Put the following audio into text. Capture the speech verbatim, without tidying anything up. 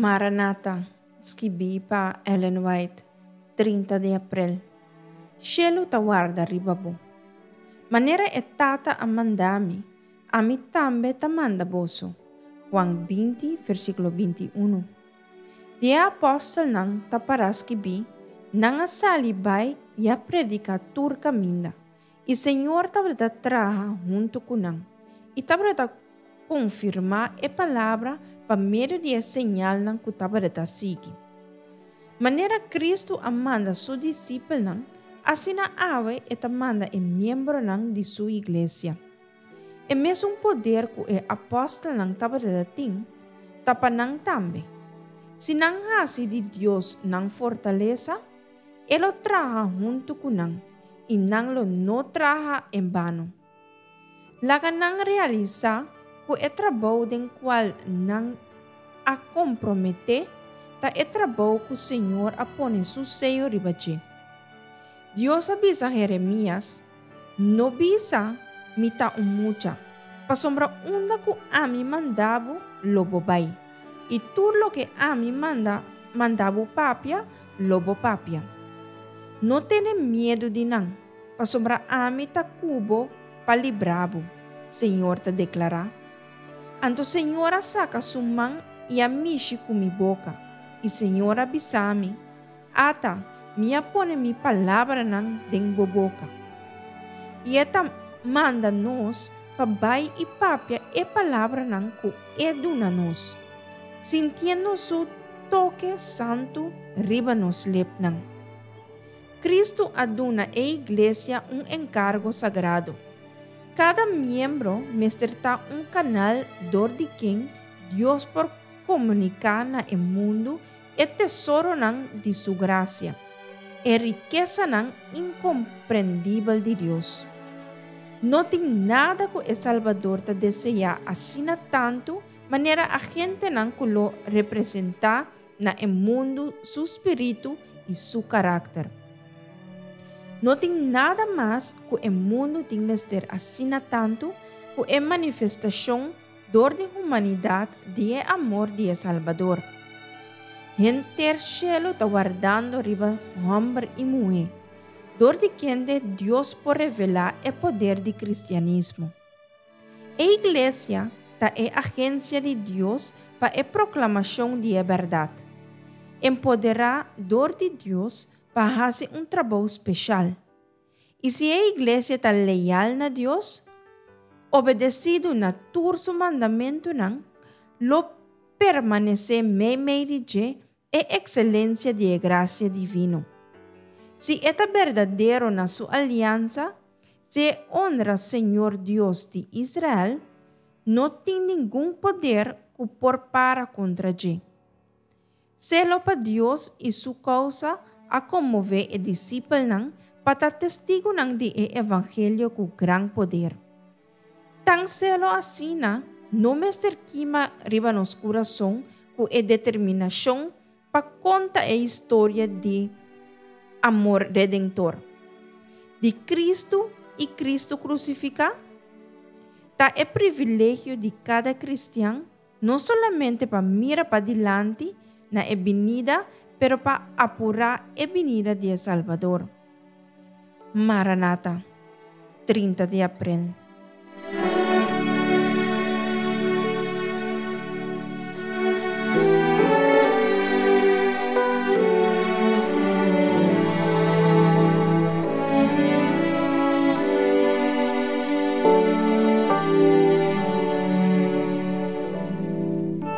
Maranata, skibí pa Ellen White, trinta di aprel. Shelu ta warda riba bo. Manera e Tata a manda mi, ami tambe ta manda boso. Juan binti, versíkulo binti i un. Di e apòstelnan ta pará skibí: "Nan a sali bai i a prediká tur kaminda. I Señor tabata traha huntu ku nan. I tabata konfirmá e palabra pa medio di e señalnan ku tabata sigui." Manera Kristu a manda su disipelnan, asina awe e ta manda e miembronan di su iglesia. E mesun poder ku e apòstelnan tabatin, ta pa nan tambe. Si nan hasi di Dios nan fortalesa, e lo traha huntu ku nan, i nan lo no traha en bano. Laga nan realisá ku e trabou den kual nan a komprometé ta e trabou ku Señor a pone su seyo riba dje. Dios a bisa Jeremias: "No bisa: 'Mi ta un mucha', pasobra unda ku ami manda bo, lo bo bai. I tur loke ami manda, manda bo papia, lo bo papia. No tene miedu di nan, pasobra ami ta ku bo pa libra bo, Señor ta deklará." Anto Señor a saka su man i a mishi ku mi boka, i Señor a bisa mi: "Ata, mi a pone mi palabranan den bo boka." I e ta manda nos pa bai i papia e palabranan ku e duna nos, sintiendo su toke santu riba nos lepnan. Kristu a duna e iglesia un enkargo sagrado. Kada miembro mester ta un kanal dor di ken Dios por komuniká na e mundu e tesoronan di su grasia, e rikesanan inkomprendibel di Dios. No tin nada ku e Salbador ta deseá asina tantu manera agentenan ku lo representá na e mundu su spiritu i su karakter. No tin nada mas ku e mundu tin mester asina tantu ku e manifestashon dor di humanidat di e amor di e Salbador. Henter shelu ta wardando riba hòmber i muhé, dor di kende Dios por revelá e poder di kristianismo. E iglesia ta e agensia di Dios pa e proklamashon di e bèrdat. Empoderá dor di Dios pa hasi un trabou spesial. I si e iglesia ta leal na Dios, obedesidu na tur su mandamentunan, lo permanesé meimei di dje e ekselensia di e grasia divino. Si e ta berdadero na su aliansa, si e honra Señor Dios di Israel, no tin ningun poder ku por para kontra dje. Selo pa Dios i su kousa a konmové e disipelnan pa ta testigunan di e evangelio ku gran poder. Tan selo asina no mester kima riba nos kurason ku e determinashon pa konta e historia di amor redentor di Kristu i Kristu krusifiká? Ta e privilegio di kada kristian no solamente pa mira padilanti na e binida, pero pa apurá e binida di e Salbador. Maranata, trinta di aprel.